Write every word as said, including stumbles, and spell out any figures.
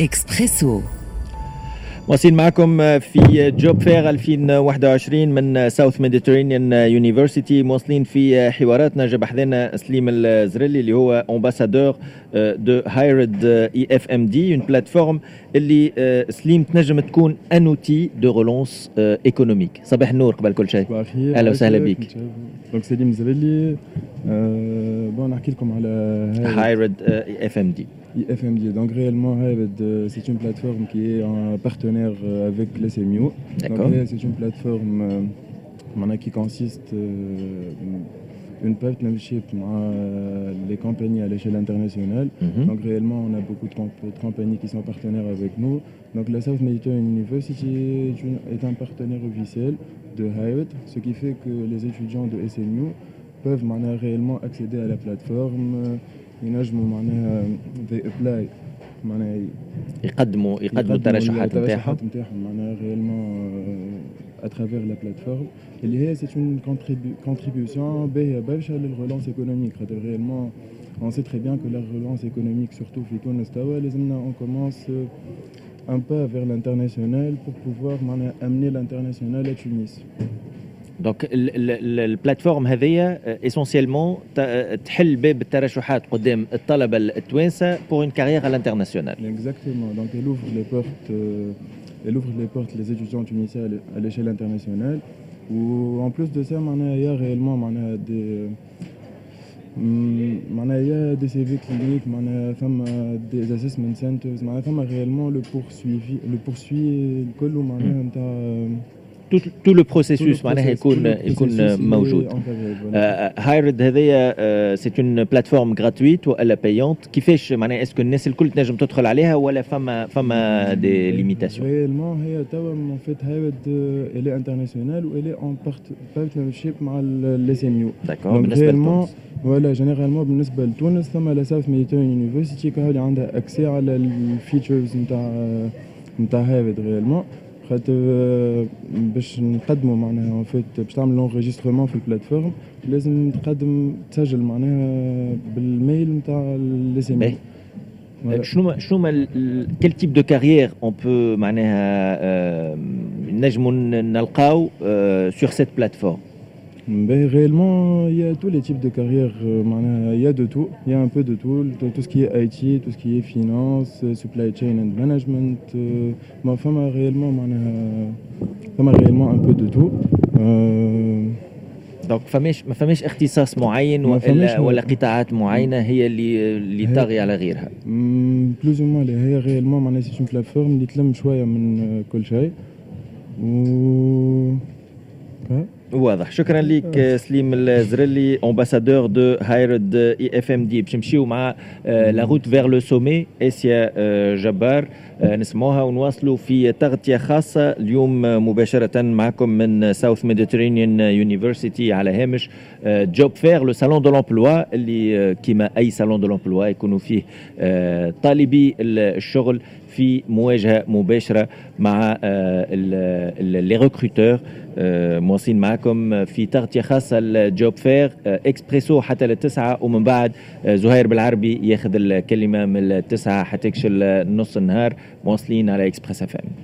اكسبريسو. واصلين معكم في Job Fair ألفين وواحد وعشرين من South Mediterranean University، مواصلين في حواراتنا. جا بحذانا سليم الزرلي اللي هو ambassadeur de Hired I F M D، une plateforme اللي سليم تنجم تكون un outil de relance économique. صباح النور قبل كل شيء. صباح الخير. اهلا وسهلا بك. donc سليم زرلي، bon نحكي لكم على Hired I F M D. I F M D. Donc réellement, Hired, c'est une plateforme qui est un partenaire avec l'S M U. D'accord. Donc c'est une plateforme euh, qui consiste euh, une partnership avec les compagnies à l'échelle internationale. Mm -hmm. Donc réellement, on a beaucoup de, comp de, compagnies qui sont partenaires avec nous. Donc la South Mediterranean University est, une, est un partenaire officiel de Hired, ce qui fait que les étudiants de S M U peuvent معناها réellement accéder à la plateforme. ينجموا معناها they apply معناها يقدموا يقدموا الترشحات نتاعهم. الترشحات نتاعهم معناها réellement à travers la plateforme اللي هي c'est une contribution باهيه برشا لل relance économique، خاطر réellement on sait très bien que la relance économique، surtout في تونس توا، لازمنا on commence un pas vers l'international pour pouvoir معناها amener l'international à Tunis. donc ال plateforme هذيا essentiellement تحل باب الترشحات قدام الطلبة التوانسة pour une carrière à l'international. Exactement. Donc elle ouvre les portes, euh, elle ouvre les portes les étudiants tunisiens à l'échelle internationale. و en plus de ça, معناها il y a réellement معناها des معناها il y a des C V cliniques، معناها فما des assessment centers، معناها فما réellement le poursuivi le poursuit الكل معناها نتاع tout le processus معناها يكون يكون موجود. Hired هذايا c'est une plateforme gratuite والا payante؟ كيفاش معناها؟ est-ce que الناس الكل تنجم تدخل عليها ولا فما فما des limitations؟ réellement هي توا en fait Hired elle est internationale و elle est en partnership مع ال S M U. d'accord، بالنسبة لتونس؟ voilà، généralement بالنسبة لتونس ثم la South Mediterranean University اللي عندها accès على ال features نتاع نتاع Hired réellement، خاطر باش نقدموا معناها en fait باش تعمل l'enregistrement في ال plateforme لازم تقدم، تسجل معناها بال mail نتاع ال S M U. شنو شنو quel type de carrière on peut معناها نجموا نلقاو sur cette plateforme؟ Ben, réellement, il y a tous les types de carrières. Euh, il y a de tout. Il y a un peu de tout. Tout ce qui est I T, tout ce qui est finance, supply chain and management. Euh, فما réellement, فما réellement un peu de tout. Euh, donc فماش ما فماش اختصاص معين ولا ولا قطاعات معينة هي اللي اللي طاغية على غيرها؟ plus ou moins هي réellement معناها c'est une plateforme اللي تلم شوية من كل شيء و واضح. شكرا لك سليم الزرلي، ambassadeur de Hired I F M D. باش نمشيو مع la route vers le sommet، اسيا جبار، نسمعوها ونواصلوا في تغطيه خاصة اليوم مباشرة معكم من South Mediterranean University على هامش Job Fair، le salon de l'emploi اللي كيما اي salon de l'emploi يكونوا فيه طالبي الشغل في مواجهة مباشرة مع les recruteurs. مواصلين معكم في تغطيه خاصة ال Job Fair، اكسبريسو حتى للتسعة، ومن بعد زهير بالعربي ياخذ الكلمة من التسعة حتى نص النهار. مواصلين على Express F M.